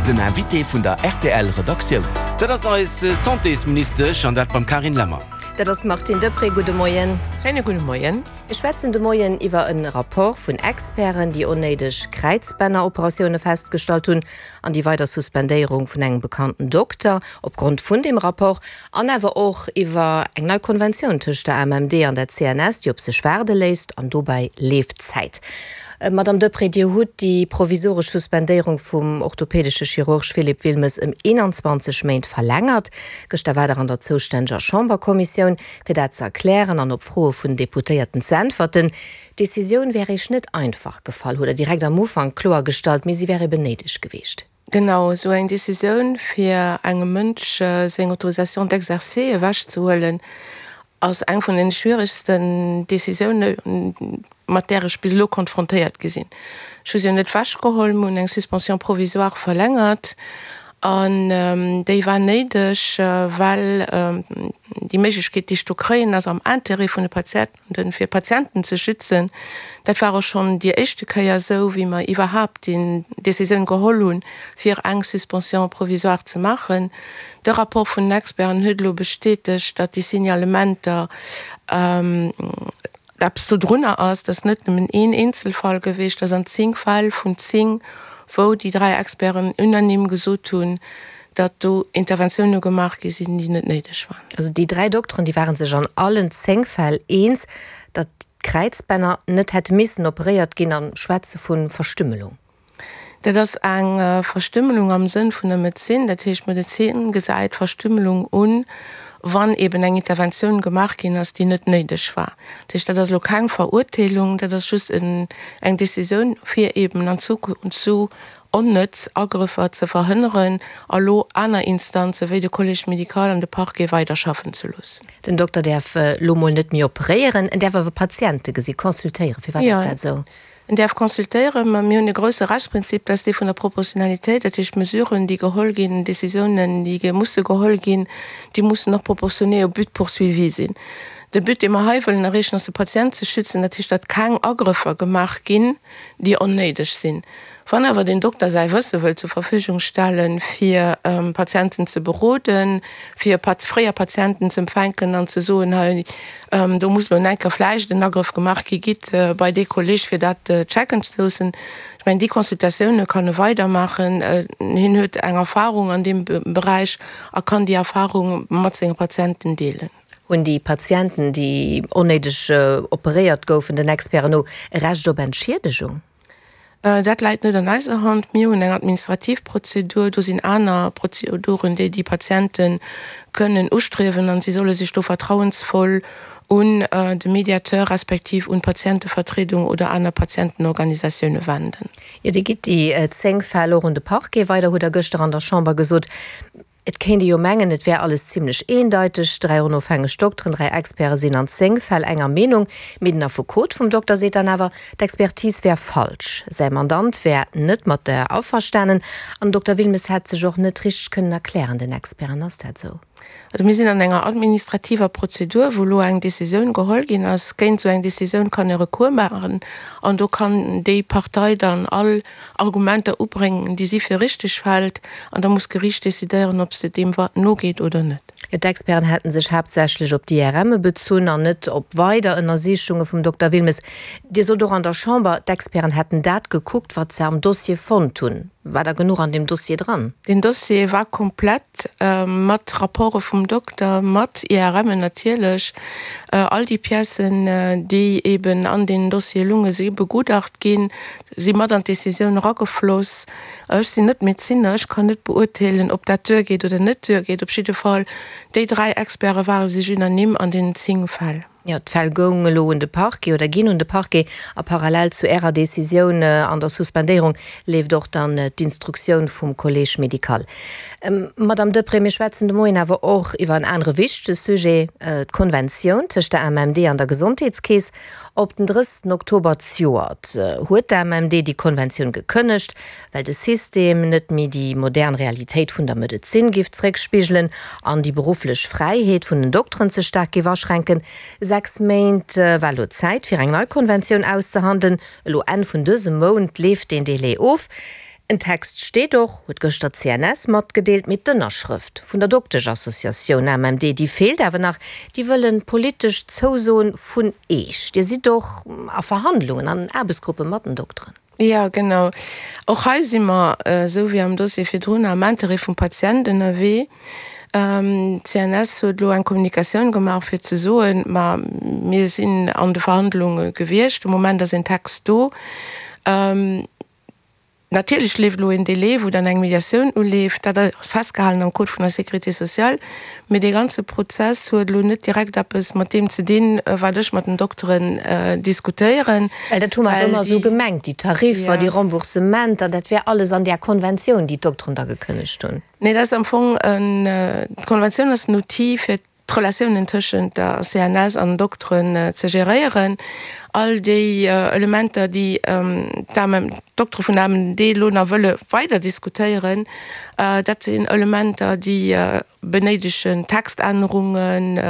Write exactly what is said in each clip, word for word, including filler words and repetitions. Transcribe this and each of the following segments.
Den Invité vun der R T L Redaktioun. Dat ass eis Santésministesch, an dat beim Carine Lemmer. Dat ass d'Martine Deprez. Gudde Moien. Schéine gudde Moien. Mir schwätzen de Moien iwwer e Rapport vun Experten, déi onnéideg Kräizbänneroperatioune festgestallt hunn, an déi weider Suspendéierung vun engem bekannten Dokter opgrond vun deem Rapport, an awer och iwwer eng nei Konventioun tëscht der A M M D an der C N S, déi op sech waarde léisst, an dobäi leeft d'Zäit. Madame Deprez, Dir hutt déi provisoresch Suspendéierung vum orthopädesche Chirurg Philippe Wilmes ëm eenanzwanzeg Méint verlängert. Gëschter waart Der an der zoustänneger Chamberkommissioun, fir dat ze erklären an op Froe vun Deputéierten ze äntwerten. D'Decisioun wär Iech net einfach gefall, hutt Der direkt am Ufank kloergestallt, mee si wär eben néideg gewiescht. Genau, esou eng Decisioun, fir engem Mënsch seng Autorisation d'exercer ewechzehuelen, ass eng vun den schwieregsten Decisioune mat där ech bis elo konfrontéiert gi sinn. Ech hu se jo net ewechgeholl, mir hunn eng Suspension provisoire verlängert an déi war néideg, well déi Méiglechkeet, déi ech do kréien, ass am Intérêt vun de Patienten, fir Patienten ze schützen. Dat war och schonn déi éischte Kéier esou, wéi mer iwwerhaapt déi Decisioun geholl hunn, fir eng Suspension provisoire ze maachen. De Rapport vun den Experten huet elo bestätegt, datt déi Signalementer eppes dodrunner ass, dat ass net nëmmen een Eenzelfall gewiescht, dat ass an zéng Fäll vun zéng, wou déi dräi Experten unanime gesot hunn, datt do Interventioune gemaach gi sinn, déi net néideg waren. Also déi dräi Dokteren, déi ware sech an allen zéng Fäll eens, datt d'Kräizbänner net hätte missen operéiert ginn, a schwätze vu Verstümmelung. Dat ass eng Verstümmelung am Sënn vun der Medezin. Dat heescht, d'Medezin gesäit Verstümmelung un, wann eben eng Interventioun gemaach ginn ass, déi net néideg war. Dat heescht, dat ass elo keng Verurteelung, dat ass just eng Decisioun, fir eben an Zukunft esou onnëtz Agrëffer ze verhënneren a lo aner Instanze wéi de Collège médical an de Parquet weiderschaffen ze loossen. Den Dokter däerf elo mol net méi operéieren, en däerf awer Patiente gesi consultéieren. Firwat ass dat esou? En däerf consultéieren, mä mir hunn e grousse Rechtsprinzip, dat ass dee vun der Proportionalitéit. Dat heescht, Mesuren, déi geholl ginn, Décisiounen, déi musse geholl ginn, déi mussen och proportionné au but poursuivi sinn. De But, dee mer hei wëllen erreechen, ass de Patient ze schützen, dat heescht, datt keng Agrëffer gemaach ginn, déi onnéideg sinn. Wann awer den Dokter säi Wësse wëll zur Verfügung stellen, fir Patienten ze beroden, fir fréier Patienten ze empfänken an ze soen, hei do muss elo enker vläicht en Agrëff gemaach gi, gitt bei dee Kolleg fir dat checken ze loossen. Ech mengen, déi Consultatioune kann e weidermaachen. Hien huet eng Erfahrung an deem Beräich a kann déi Erfahrung mat senge Patienten deelen. Hunn déi Patienten, déi onnéideg operéiert goufen, den Experten no e Recht op Entschiedegung? Dat läit net an eiser Hand. Mir hunn eng administrativ Prozedur, do sinn aner Prozeduren, déi déi Patiente kënnen ustriewen, an si solle sech do vertrauensvoll un de Mediateur respektiv un d'Patientevertriedung oder aner Patientenorganisatioune wenden. Jo, Dir gitt déi zéng Fäll och un de Parquet weider, hutt Der gëschter an der Chamber gesot. Et kéint ee jo mengen, et wär alles zimlech eendeiteg, dräi onofhängeg Dokteren, dräi Experte sinn an zéng Fäll enger Meenung. Mee den Affekot vum Dokter seet dann awer, d'Expertise wär falsch, säi Mandant wär net mat der averstanen an den Dokter Wilmes hätt sech och net richteg kënnen erklären den Experten. Ass dat esou? Also mir sinn an enger administrativer Prozedur, wou elo eng Decisioun geholl ginn ass. Géint esou eng Decisioun kann e Recours maachen an do kann déi Partei dann all Argumenter ubréngen, déi si fir richteg hält, an da muss d'Geriicht decidéieren, ob se deem nogeet oder net. D'Experten hätte sech haaptsächlech op d'I R Mme bezunn an net op weider Ënnersichunge vum Dokter Wilmes. Dir sot och an der Chamber, d'Experten hätten dat gekuckt, wat se am Dossier fonnt hunn. War da genuch an deem Dossier dran? Den Dossier war komplett mat Rapporte vum Dokter, mat I R Mmen natierlech. All déi Piècen, déi eben an deenen Dossiere lunge si begutacht ginn, si mat an d'Decisioun eragefloss. Ech sinn net Medezinner, ech kann net beurteelen, ob dat duergeet oder net duergeet. Op jidde Fall, déi dräi Experte ware sech unanime an deenen zéng Fäll. Jo, d'Fäll goungen elo un de Parquet oder ginn un de Parquet a parallel zu Ärer Decisioun an der Suspendéierung leeft och dann d'Instruktioun vum Collège médical. Madamm Deprez, mir schwätzen de Moien awer och iwwer en anere wichtege Sujet, d'Konventioun tëscht der A M M D an der Gesondheetskeess. Op den drëssigsten Oktober zejoert huet d'A M M D déi Konventioun gekënnegt, well de System net méi déi modern Realitéit vun der Medezin géif zeréckspigelen an déi berufflech Fräiheet vun den Dokteren ze staark géif aschränken. Sechs Méint war elo Zäit, fir eng nei Konventioun auszehandelen. Elo Enn vun dësem Mount leeft deen Delai of. En Text steet och, huet gëschter d'CNS matgedeelt, mee d'Ënnerschrëft vun der Dokteschassociatioun AMMD, déi feelt awer nach. Déi wëllen politesch Zousoen vun Eech. Dir sidd och a Verhandlungen an Aarbechtsgruppe mat den Dokteren? Jo, genau. Och hei si mer, esou wéi am Dossier virdrun, am Interêt vum Patient ënnerwee. D'CNS huet elo eng Kommunikatioun gemaach, fir ze soen, ma mir sinn an de Verhandlunge gewiescht, de Moment ass een Text do. Natierlech leeft elo een Délai, wou dann eng Mediatioun uleeft. Dat ass festgehalen am Code vun der Sécurité sociale. Mee dee ganze Prozess huet elo net direkt eppes mat deem ze dinn, wat ech mat den Dokteren diskutéieren. Well dat hu mer awer ëmmer esou gemengt, déi Tariffer, déi Remboursementer, dat wär alles an där Konventioun, déi d'Dokteren da gekënnegt hunn. Nee, dat ass am Fong en, d'Konventioun ass en Outil fir d'Relatiounen tëschent der CNS an den Dokteren ze geréieren. All déi Elementer, déi d'Doktere vun der AMMD elo nach wëlle weider diskutéieren, dat sinn Elementer, déi benéidegen Textännerungen,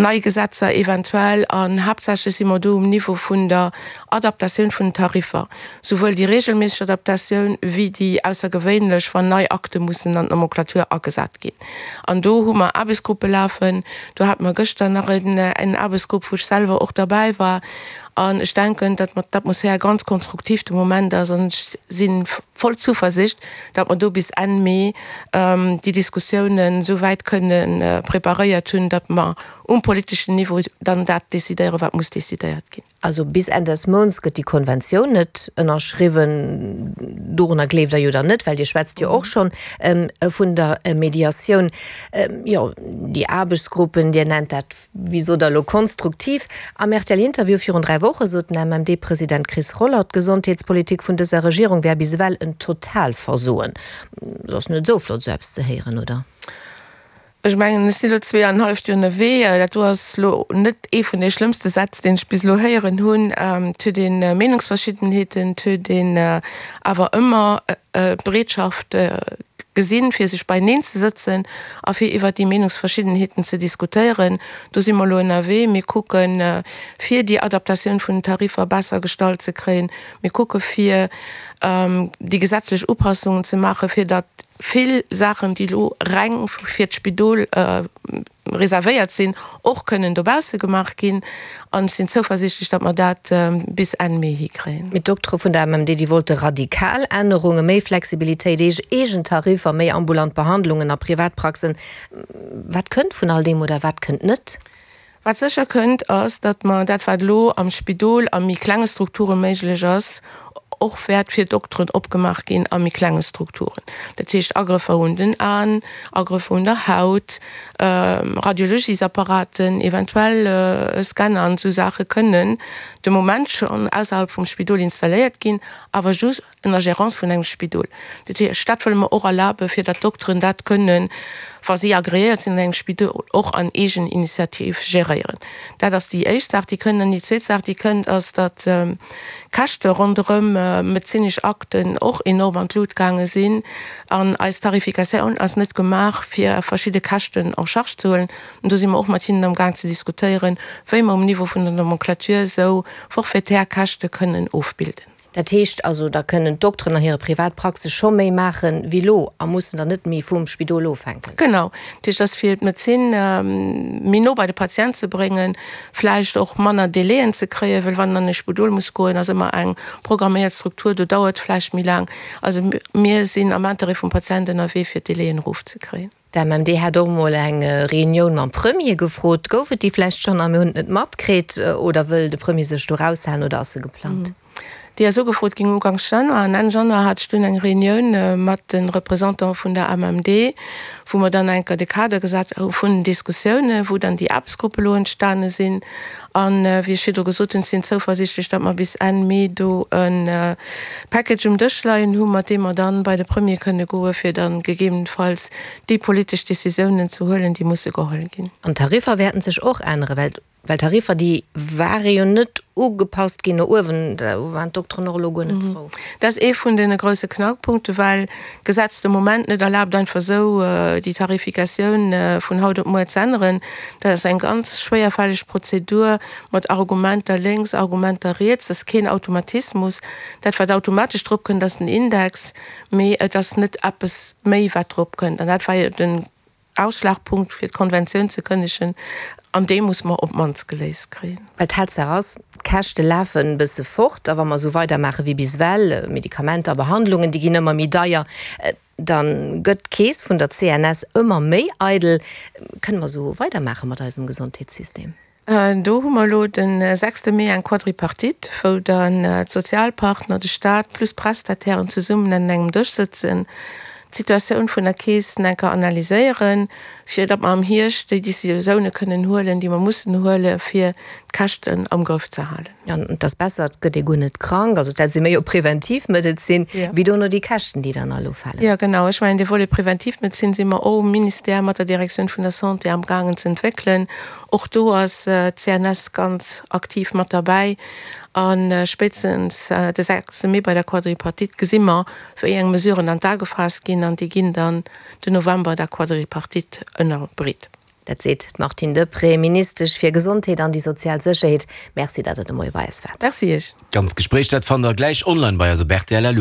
nei Gesetzer eventuell. An haaptsächlech si mer do um Niveau vun der Adaptatioun vun den Tariffer, souwuel déi regelméisseg Adaptatioun wéi déi aussergewéinlech, wann nei Akte mussen an d'Nomenclature agesat ginn. An do hu mer Aarbechtsgruppe lafen. Do hate mer gëschter nach en Aarbechtsgrupp, wou ech selwer och derbäi war. An ech denken, datt mer d'Atmosphär ganz konstruktiv de Moment ass. An ech si voll Zuversicht, datt mer do bis Enn Mee déi Diskussiounen esou wäit kënne preparéiert hunn, datt mer um politeschen Niveau dann dat decidéieren, wat muss decidéiert ginn. Also bis Enn des Mounts gëtt déi Konventioun net ënnerschriwwen. Dorunner gleeft Der jo dann net, well Dir schwätzt jo och schonn vun der Mediatioun. Jo, déi Aarbechtsgruppen, Dir nennt dat, wéi sot Der elo, konstruktiv. Am RTL-Interview virun dräi Woche sot den MMD-President Chris Roller, d'Gesondheetspolitik vun dëser Regierung wär bis ewell en Totalversoen. Et ass net esou flott, esou eppes ze héieren, oder? Ech mengen, ech sinn elo zwee an en halleft Joer ënnerwee. Dat do ass elo net ee vun de schlëmmste Sätz, deen ech bis elo héieren hunn. Et huet ee Meenungsverschiddenheeten, et huet een awer ëmmer d'Bereetschaft gesinn, fir sech beieneen ze sëtzen a fir iwwert déi Meenungsverschiddenheeten ze diskutéieren. Do si mer elo ënnerwee. Mir kucken, fir déi Adaptatioun vun den Tariffer besser gestallt ze kréien. Mir kucke fir déi gesetzlech Upassungen ze maachen, fir datt vill Saachen, déi elo reng fir d'Spidol reservéiert sinn, och kënnen dobausse gemaach ginn. An ech sinn zouversiichtlech, datt mer dat bis Enn Mee hikréien. Mee d'Doktere vun der AMMD, déi wollte radikal Ännerungen, méi Flexibilitéit, eegen Tariffer, méi ambulant Behandlungen a Privatpraxen. Wat kënnt vun all deem oder wat kënnt net? Wat sécher kënnt, ass, datt mer dat, wat elo am Spidol a méi klenge Strukture méiglech ass, och wäert fir Dokteren opgemaach ginn a méi klenge Strukturen. Dat heescht Agrëffer un den Aen, Agrëffer un der Haut, Radiologiesapparaten, eventuell Scanner an esou Saache kënnen de Moment schonn ausserhalb vum Spidol installéiert ginn, awer just ënner Gérance vun engem Spidol. Dat heescht, dat wëlle mer och erlaben, fir datt d'Dokteren dat kënnen, wa si agreéiert sinn an engem Spidol, och an Eegeninitiativ geréieren. Dat ass déi éischt Saach, déi kënnt. An déi zweet Saach, déi kënnt, ass, datt d'Käschte ronderëm medezinesch Akten och enorm an d'Lut gaange sinn. An eis Tarifikatioun ass net gemaach, fir verschidde Käschten en charge ze huelen. An do si mer och mat hinnen amgaang ze diskutéieren, wéi mer um Niveau vun der Nomenclature esou forfaitaire Käschte kënnen ofbilden. Dat heescht also, da kënnen d'Dokteren an hire Privatpraxe scho méi maache wéi elo a mussen dann net méi vum Spidol ofhänken. Genau. Dat heescht, ass fir d'Medezin méi no bei de Patient ze bréngen, vläicht och manner Délaiën ze kréien, well wann en an e Spidol muss goen, ass ëmmer eng programméiert Struktur, do dauert vläicht méi laang. Also mir sinn am Interêt vum Patient ënnerwee, fir d'Délaiën erofzekréien. D'AMMD hat och emol eng Reunioun mam Premier gefrot. Gouf et déi vläicht schonn a mir hunn et net matkritt? Oder wëll de Premier sech do eraushalen oder ass se geplangt? Déi ass ugefrot ginn uganks Januar an Enn Januar hat ech dunn eng Reunioun mat de Representanten vun der AMMD, wou mer dann eng Kéier de Kader gesat hu vun den Diskussiounen, wou dann déi Aarbechtsgruppe elo entstane sinn. An wéi ech virdru gesot hunn, ech sinn zouversiichtlech, datt mer bis Enn Mee do e Package um Dësch leien hu mat deem mer dann bei de Premier kënne goe fir dann gegebenenfalls déi politesch Décisiounen ze huelen, déi musse geholl ginn. An d'Tariffer wäerten sech och änneren, well Well d'Tariffer, déi ware jo net ugepasst ginn no uewen, do waren d'Dokteren och elo guer net frou. Dat ass ee vun deene grousse Knackpunkte, well d'Gesetz de Moment net erlaabt, einfach esou déi Tarifikatioun vun haut op muer z'änneren. Dat ass eng ganz schwéierfälleg Prozedur mat Argumenter lénks, Argumenter riets. Dat ass keen Automatismus. Dat, wat automatesch drop kënnt, ass den Index, mee et ass net eppes méi, wat drop kënnt. An dat war jo den Ausschlagpunkt fir d'Konventioun ze kënnegen, an dee muss mer op d'mannst geléist kréien. Well d'Tatsaach ass, d'Käschte lafen e bësse fort, a wa mer esou weidermaache wéi bis ewell, Medikamenter a Behandlungen, déi ginn ëmmer méi deier, da gëtt d'Keess vun der C N S ëmmer méi eidel. Kënne mer esou weidermaache mat eisem Gesondheetssystem? Do hu mer elo de sechste Mee eng Quadripartite, wou dann d'Sozialpartner, de Staat plus d'Prestatairen zesummen un engem Dësch sëtzen, d'Situatioun vun der Keess nach eng Kéier analyséieren, fir datt mer am Hierscht déi Décisioune kënnen huelen, déi mer mussen huelen, fir d'Käschten am Grëff ze halen. An et ass besser, et gëtt ee guer net krank, also dat si méi op Preventivmedezin, wéi dono déi Käschten, déi dann all ufalen. Jo, genau. Ech mengen, dee Volet Preventivmedezin si mer och um Ministère mat der Direktioun vun der Santé amgaangen ze entwéckelen. Och do ass d'C N S ganz aktiv mat derbäi. A spéitstens de sechste Mee bei der Quadripartite gesi mer, wéi eng Mesuren an d'A gefaasst ginn, an déi ginn dann den November der Quadripartite ënnerbreet. Dat seet d'Martine Deprez, Ministesch fir Gesondheet an déi sozial Sécherheet. Merci, datt Der de Moie bei eis waart. Merci Iech. D'ganzt Gespréich, dat fannt Der gläich online bei eis op R T L L U.